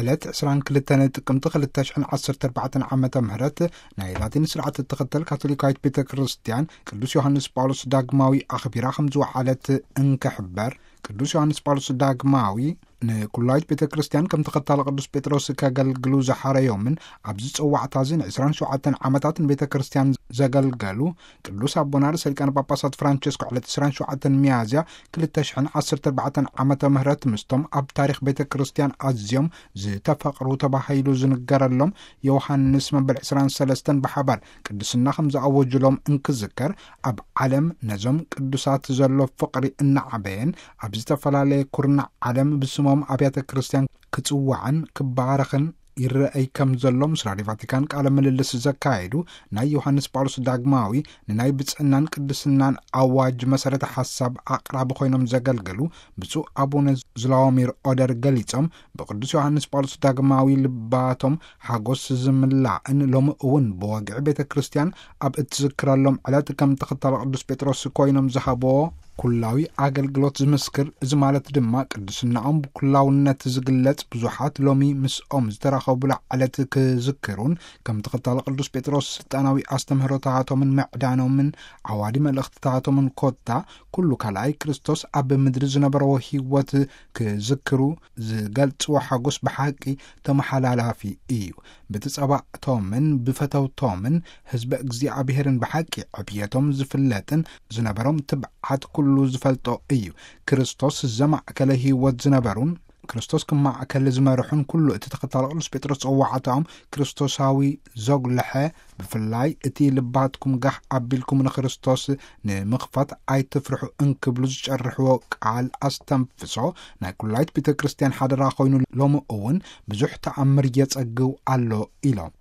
ዕለት ዕስራን ክልተን ጥቅምቲ ክልተ ሽሕን ዓሰርተ ኣርባዕተን ዓመተ ምህረት ናይ ላቲን ስርዓት እትኽተል ካቶሊካዊት ቤተ ክርስቲያን ቅዱስ ዮሃንስ ጳውሎስ ዳግማዊ ኣኽቢራ ከም ዝወዓለት እንክሕበር፣ ቅዱስ ዮሃንስ ጳውሎስ ዳግማዊ ንኩላዊት ቤተ ክርስቲያን ከም ተኸታሊ ቅዱስ ጴጥሮስ ከገልግሉ ዝሓረዮምን ኣብዚ ጸዋዕታ እዚ ን27 ዓመታት ንቤተ ክርስቲያን ዘገልገሉ ቅዱስ ኣቦና ርእሰ ሊቃነ ጳጳሳት ፍራንቸስኮ ዕለት ዕስራን ሸውዓተን ሚያዝያ ክልተ ሽሕን ዓሰርተ ኣርባዕተን ዓመተ ምህረት ምስቶም ኣብ ታሪኽ ቤተ ክርስቲያን ኣዝዮም ዝተፈቕሩ ተባሂሉ ዝንገረሎም ዮሃንስ መበል ዕስራን ሰለስተን ብሓባር ቅድስና ከም ዝኣወጁሎም እንክዝከር፣ ኣብ ዓለም ነዞም ቅዱሳት ዘሎ ፍቕሪ እናዓበየን ኣብ ዝተፈላለየ ኩርናዕ ዓለም ብስሞም ኣብያተ ክርስቲያን ክጽዋዕን ክባረኽን ይረአይ ከም ዘሎ ምስ ራድዮ ቫቲካን ቃለ ምልልስ ዘካየዱ ናይ ዮሃንስ ጳውሎስ ዳግማዊ ንናይ ብጽዕናን ቅድስናን ኣዋጅ መሰረተ ሓሳብ ኣቕራቢ ኮይኖም ዘገልገሉ ብፁዕ ኣቡነ ዝላዎሚር ኦደር ገሊጾም፣ ብቅዱስ ዮሃንስ ጳውሎስ ዳግማዊ ልባቶም ሓጎስ ዝምላእን ሎሚ እውን ብወግዒ ቤተ ክርስቲያን ኣብ እትዝክረሎም ዕለት ከም ተኸታሊ ቅዱስ ጴጥሮስ ኮይኖም ዝሃብዎ ኩላዊ ኣገልግሎት ዝምስክር፣ እዚ ማለት ድማ ቅድስናኦም ብኩላውነት ዝግለጽ ብዙሓት ሎሚ ምስኦም ዝተራኸቡላ ዕለት ክዝክሩን ከም ተኸታሊ ቅዱስ ጴጥሮስ ስልጣናዊ ኣስተምህሮታቶምን ምዕዳኖምን ዓዋዲ መልእኽትታቶምን ኮታ ኩሉ ካልኣይ ክርስቶስ ኣብ ምድሪ ዝነበረዎ ህይወት ክዝክሩ ዝገልጽዎ ሓጎስ ብሓቂ ተመሓላላፊ እዩ። ብትጸባእቶምን ብፈተውቶምን ህዝበ እግዚኣብሔርን ብሓቂ ዕብየቶም ዝፍለጥን ዝነበሮም ትብዓት ኩሉ ዝፈልጦ እዩ። ክርስቶስ ዘማእከለ ህይወት ዝነበሩን ክርስቶስ ክማእከል ዝመርሑን ኩሉ እቲ ተኸታሊ ቅዱስ ጴጥሮስ ጸዋዕታኦም ክርስቶሳዊ ዘጉልሐ፣ ብፍላይ እቲ ልባትኩም ጋሕ ኣቢልኩም ንክርስቶስ ንምኽፋት ኣይትፍርሑ እንክብሉ ዝጨርሕዎ ቃል ኣስተንፍሶ ናይ ኩላይት ቤተ ክርስቲያን ሓደራ ኮይኑ ሎሚ እውን ብዙሕ ተኣምር የጸግው ኣሎ ኢሎም።